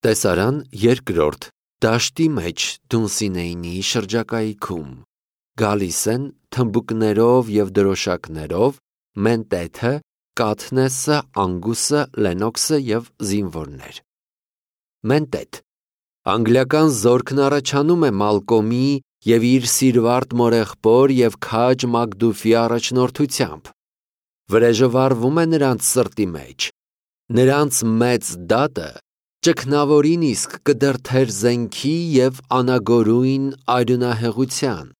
Տեսարան երկրորդ դաշտի մեջ Դունսինեյնի շրջակայքում գալիս են թմբուկներով և դրոշակներով Մենտեթը, Կաթնեսը, Անգուսը, Լենոքսը և զինվորներ։ Մենտեթ անգլիական զորքն առաջանում է Մալկոմի և իր սիրվարտ մորեղբոր և քաջ Մակդուֆի առաջնորդությամբ։ Վրեժը վառվում է նրանց սրտի մեջ։ Նրանց մեծ դատը ճգնավորին իսկ կդրդեր զենքի և անագորույն արյունահեղության։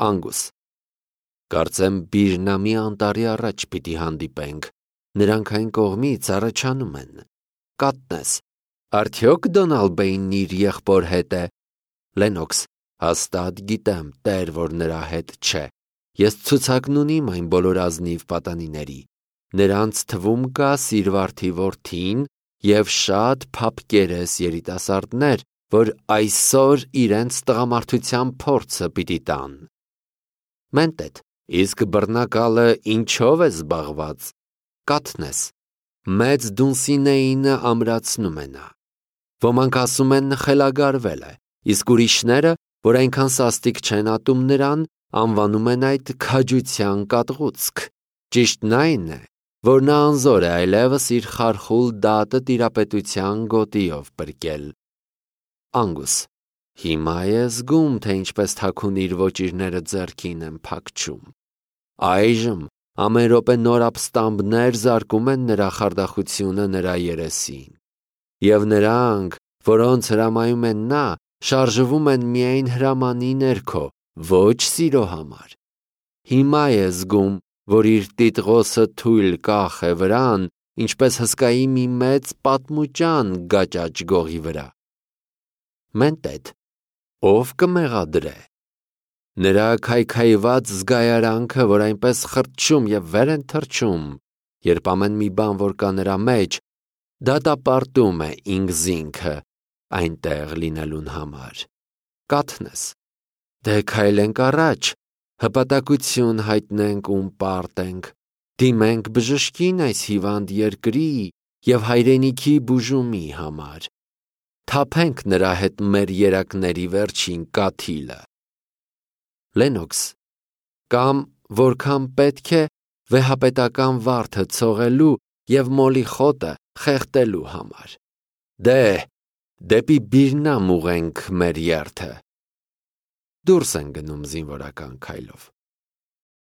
Անգուս կարծեմ Բիրնամի անտառի առաջ պիտի հանդիպենք, նրանք այն կողմից առաջանում են։ Կաթնես արդյոք Դոնալբեինն իր եղբոր հետ է։ Լենոքս հաստատ գիտեմ, տեր, որ նրա հետ չէ։ Ես ցուցակն ունիմ այն բոլոր ազնիվ պատանիների։ Նրանց թվում կա սիրվարդի որդին և շատ փափկերես երիտասարդներ, որ այսօր իրենց տղամարդության փորձը պիտի տան։ Մենտեթ իսկ բռնակալը ինչով է զբաղված։ Կաթնես մեծ Դունսինեյնը ամրացնում է նա։ Ոմանք ասում են խելագարվել է, իսկ ուրիշները, որ այնքան սաստիկ չեն ատում նրան, անվանում են այդ քաջության կատաղուցք։ Ճիշտն այն է, որ նա անզոր է այլևս իր խարխուլ դատը տիրապետության գոտիով պրկել։ Անգուս հիմա է զգում, թե ինչպես թաքուն իր ոճիրները ձեռքին են փակչում։ Այժմ ամեն րոպե նոր ապստամբներ զարկում են նրա խարդախությունը նրա երեսին։ Եվ նրանք, որոնց հրամայում են նա, շարժվում են միայն հրամանի ներքո, ոչ սիրո համար։ Հիմա է զգում, որ իր տիտղոսը թույլ կախ է վրան, ինչպես հսկայի մի մեծ պատմուճան գաճաճ գողի վրա։ Մենտեթ ով կմեղադրե։ Նրա քայքայված զգայարանքը, որ այնպես խրճում և վեր են թռչում, երբ ամեն մի բան, որ կա նրա մեջ, դատապարտում է ինքզինքը այնտեղ լինելուն համար։ Կաթնես դե քայլենք առաջ, հպատակություն հայտնենք ում պարտենք, դիմենք բժշկին այս հիվանդ երկրի և հայրենիքի բուժումի համար, թափենք նրա հետ մեր երակների վերջին կաթիլը։ Լենոքս կամ որքան պետք է վեհապետական վարդը ցողելու և մոլի խոտը խեղդելու համար։ Դե դեպի Բիրնամ ուղենք մեր երթը։ Դուրս են գնում զինվորական քայլով։